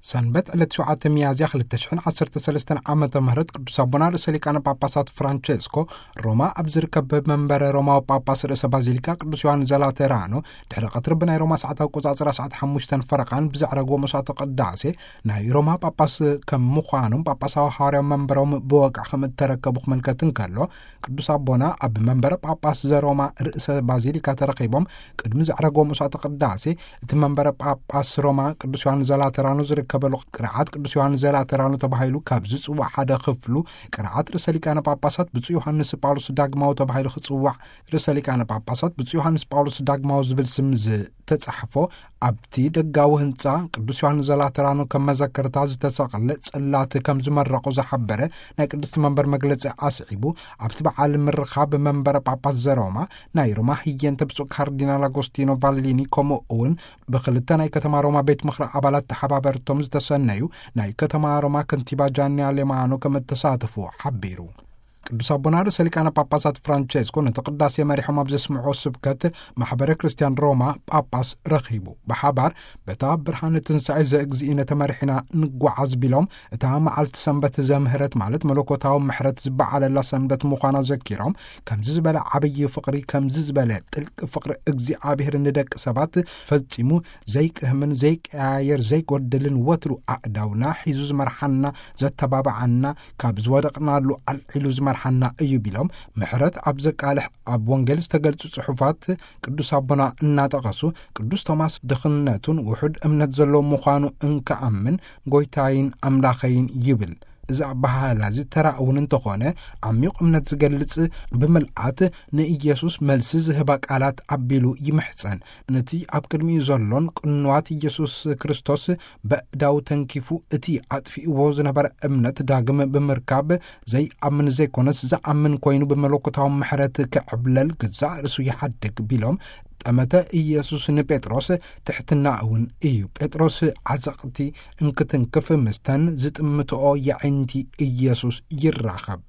ሰንበት ዕለት ሸውዓተ ሚያዝያ ክልተ ሽሕን ዓሰርተ ሰለስተን ዓመተ ምህረት ቅዱስ ኣቦና ርእሰ ሊቃነ ጳጳሳት ፍራንቸስኮ ሮማ ኣብ ዝርከብ መንበረ ሮማዊ ጳጳስ ርእሰ ባዚሊካ ቅዱስ ዮሐንስ ዘላተራኖ ድሕሪ ቀትሪ ብናይ ሮማ ሰዓት ኣቆጻጽራ ሰዓት ሓሙሽተን ፈረቓን ብዘዕረግዎ መስዋዕተ ቅዳሴ ናይ ሮማ ጳጳስ ከም ምዃኖም ጳጳሳዊ ሐዋርያዊ መንበሮም ብወግዒ ከም እተረከቡ ክምልከት እንከሎ፣ ቅዱስ ኣቦና ኣብ መንበረ ጳጳስ ዘሮማ ርእሰ ባዚሊካ ተረኺቦም ቅድሚ ዘዕረግዎ መስዋዕተ ቅዳሴ እቲ መንበረ ጳጳስ ሮማ ቅዱስ ዮሐንስ ዘላተራኖ ዝርከበሉ ቅርዓት ቅዱስ ዮሐንስ ዘላተራኖ ተባሂሉ ካብ ዝጽዋዕ ሓደ ክፍሉ ቅርዓት ርእሰ ሊቃነ ጳጳሳት ብፁዕ ዮሐንስ ጳውሎስ ዳግማዊ ተባሂሉ ክጽዋዕ ርእሰ ሊቃነ ጳጳሳት ብፁዕ ዮሐንስ ጳውሎስ ዳግማዊ ዝብል ስም ዝተጻሕፎ ኣብቲ ደጋዊ ህንጻ ቅዱስ ዮሐንስ ዘላተራኖ ከም መዘከርታ ዝተሰቕለ ጽላት ከም ዝመረቑ ዝሓበረ ናይ ቅድስቲ መንበር መግለጺ ኣስዒቡ፣ ኣብቲ በዓል ምርኻብ መንበረ ጳጳስ ዘሮማ ናይ ሮማ ህየንተ ብፁዕ ካርዲናል ኣጎስቲኖ ቫሊኒ ከምኡ እውን ብክልተ ናይ ከተማ ሮማ ቤት ምኽሪ ኣባላት ተሓባበርቶም ዝተሰነዩ ናይ ከተማ ሮማ ከንቲባ ጃኒ ኣሌማኖ ከም እተሳተፉ ሓቢሩ። ቅዱስ ኣቦና ርእሰ ሊቃነ ጳጳሳት ፍራንቸስኮ ነቲ ቅዳሴ መሪሖም ኣብ ዘስምዖ ስብከት ማሕበረ ክርስቲያን ሮማ ጳጳስ ረኺቡ ብሓባር በታ ብርሃን ትንሳኤ ዘእግዚእነ ተመሪሕና ንጓዓዝ ቢሎም እታ መዓልቲ ሰንበት ዘምህረት ማለት መለኮታዊ ምሕረት ዝበዓለላ ሰንበት ምዃና ዘኪሮም ከምዚ ዝበለ ዓብዪ ፍቕሪ ከምዚ ዝበለ ጥልቂ ፍቕሪ እግዚኣብሔር ንደቂ ሰባት ፈጺሙ ዘይቅህምን ዘይቀያየር ዘይጎድልን ወትሩ ኣእዳውና ሒዙ ዝመርሓና ዘተባብዓና ካብ ዝወደቕናሉ ኣልዒሉ ዝመርሓና እዩ ቢሎም ምሕረት ኣብ ዘቃልሕ ኣብ ወንጌል ዝተገልጹ ጽሑፋት ቅዱስ ኣቦና እናጠቐሱ ቅዱስ ቶማስ ድኽነቱን ውሑድ እምነት ዘለዎ ምዃኑ እንከኣምን ጎይታይን ኣምላኸይን ይብል። እዚ ኣበሃህላ እዚ ተራ እውን እንተኾነ ዓሚቕ እምነት ዝገልጽ ብምልኣት ንኢየሱስ መልሲ ዝህባ ቃላት ኣቢሉ ይምሕጸን። ነቲ ኣብ ቅድሚኡ ዘሎን ቅንዋት ኢየሱስ ክርስቶስ በእዳው ተንኪፉ እቲ ኣጥፊእዎ ዝነበረ እምነት ዳግም ብምርካብ ዘይኣምን ዘይኮነስ ዝኣምን ኮይኑ ብመለኮታዊ ምሕረት ክዕብለል ገዛእ ርእሱ ይሓድግ ቢሎም ጠመተ ኢየሱስ ንጴጥሮስ ትሕትና እውን እዩ። ጴጥሮስ ዓዘቕቲ እንክትንክፍ ምስተን ዝጥምትኦ የዒንቲ ኢየሱስ ይራኸብ።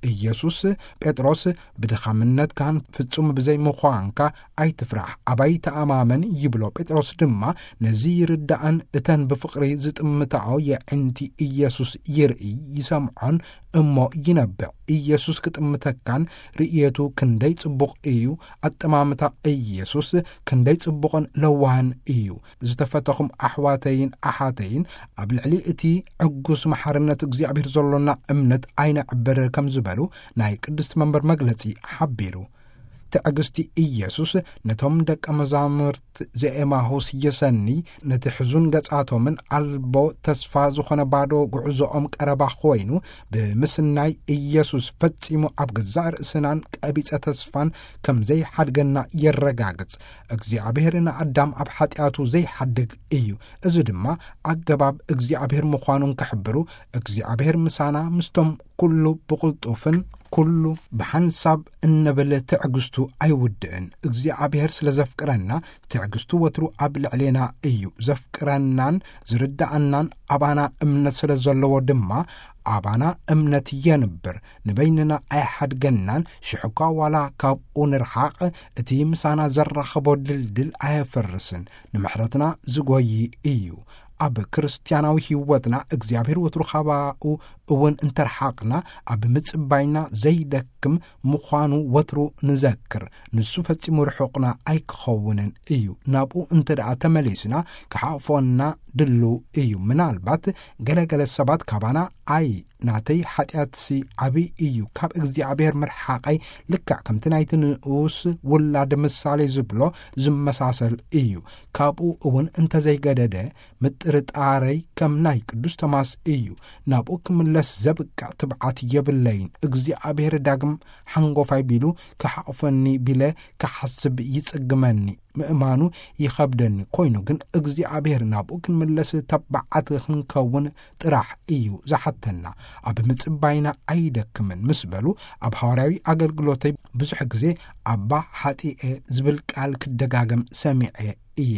ኢየሱስ ጴጥሮስ ብድኻምነትካን ፍጹም ብዘይምዃንካ ኣይትፍራሕ፣ ኣባይ ተኣማመን ይብሎ። ጴጥሮስ ድማ ነዚ ይርዳእን እተን ብፍቕሪ ዝጥምታኦ የዒንቲ ኢየሱስ ይርኢ ይሰምዖን እሞ ይነብዕ። ኢየሱስ ክጥምተካን ርእየቱ ክንደይ ጽቡቕ እዩ። ኣጠማምታ ኢየሱስ ክንደይ ጽቡቕን ለዋህን እዩ። ዝተፈተኹም ኣሕዋተይን ኣሓተይን ኣብ ልዕሊ እቲ ዕጉስ መሓርነት እግዚኣብሔር ዘሎና እምነት ኣይነዕብር ከም ዝበሉ ናይ ቅድስቲ መንበር መግለጺ ሓቢሩ። ትዕግስቲ ኢየሱስ ነቶም ደቀ መዛሙርት ዘኤማሁስ የሰኒ ነቲ ሕዙን ገጻቶምን ኣልቦ ተስፋ ዝኾነ ባዶ ጉዕዞኦም ቀረባ ኮይኑ ብምስናይ ኢየሱስ ፈጺሙ ኣብ ገዛእ ርእስናን ቀቢጸ ተስፋን ከም ዘይሓድገና የረጋግጽ። እግዚኣብሔር ንኣዳም ኣብ ሓጢኣቱ ዘይሓድግ እዩ። እዚ ድማ ኣገባብ እግዚኣብሔር ምዃኑን ክሕብሩ እግዚኣብሔር ምሳና ምስቶም ኩሉ ብቕልጡፍን ኩሉ ብሓንሳብ እንብል ትዕግስቱ ኣይውድእን። እግዚኣብሔር ስለ ዘፍቅረና ትዕግስቱ ወትሩ ኣብ ልዕሌና እዩ። ዘፍቅረናን ዝርዳኣናን ኣባና እምነት ስለ ዘለዎ ድማ ኣባና እምነት የንብር። ንበይንና ኣይሓድገናን። ሽሕኳ ዋላ ካብኡ ንርሓቕ እቲ ምሳና ዘራኽቦ ድልድል ኣየፍርስን። ንምሕረትና ዝጎይ እዩ። ኣብ ክርስትያናዊ ሕይወትና እግዚኣብሔር ወትሩ ካባኡ እውን እንተርሓቕና ኣብ ምጽባይና ዘይደክም ምዃኑ ወትሩ ንዘክር። ንሱ ፈጺሙ ርሑቕና ኣይክኸውንን እዩ። ናብኡ እንተ ደኣ ተመሊስና ክሓቕፎና ድልው እዩ። ምናልባት ገለገለ ሰባት ካባና ኣይ ናተይ ሓጢኣትሲ ዓብይ እዩ፣ ካብ እግዚኣብሔር ምርሓቐይ ልክዕ ከምቲ ናይቲ ንኡስ ውላድ ምሳሌ ዝብሎ ዝመሳሰል እዩ። ካብኡ እውን እንተዘይገደደ ምጥርጣረይ ከም ናይ ቅዱስ ቶማስ እዩ። ናብኡ ክምለስ ዘብቅዕ ትብዓት የብለይን። እግዚኣብሔር ዳግም ሓንጎፋይ ቢሉ ክሓቕፈኒ ቢለ ክሓስብ ይጽግመኒ። ምእማኑ ይኸብደኒ። ኮይኑ ግን እግዚኣብሔር ናብኡ ክንምለስ ተባዓት ክንከውን ጥራሕ እዩ ዝሓተና። ኣብ ምጽባይና ኣይደክምን ምስ በሉ ኣብ ሃዋርያዊ ኣገልግሎተይ ብዙሕ ግዜ ኣባ ሓጢኤ ዝብል ቃል ክደጋገም ሰሚዐ እየ።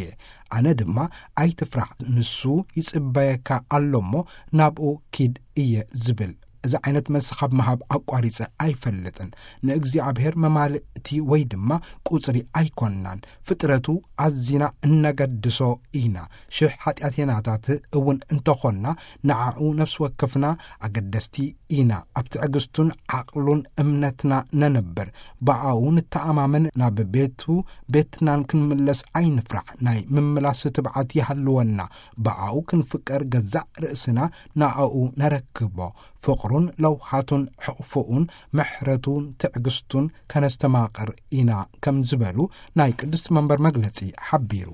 ኣነ ድማ ኣይትፍራሕ ንሱ ይጽበየካ ኣሎ እሞ ናብኡ ኪድ እየ ዝብል። እዚ ዓይነት መልሲ ካብ ምሃብ ኣቋሪጸ ኣይፈልጥን። ንእግዚኣብሔር መማልእቲ ወይ ድማ ቁጽሪ ኣይኮንናን። ፍጥረቱ ኣዚና እነገድሶ ኢና። ሽሕ ሓጢኣቴናታት እውን እንተኾንና፣ ንዓኡ ነፍሲ ወከፍና ኣገደስቲ ኢና። ኣብ ትዕግስቱን ዓቕሉን እምነትና ነንብር። ብኣኡ ንተኣማመን። ናብ ቤቱ ቤትናን ክንምለስ ኣይንፍራሕ። ናይ ምምላስ ትብዓት ይሃልወና። ብኣኡ ክንፍቀር ገዛእ ርእስና ንኣኡ ነረክቦ። ፍቕሩን ለውሃቱን ሕቕፍኡን ምሕረቱን ትዕግስቱን ከነስተማቕር ኢና ከም ዝበሉ ናይ ቅድስቲ መንበር መግለጺ ሓቢሩ።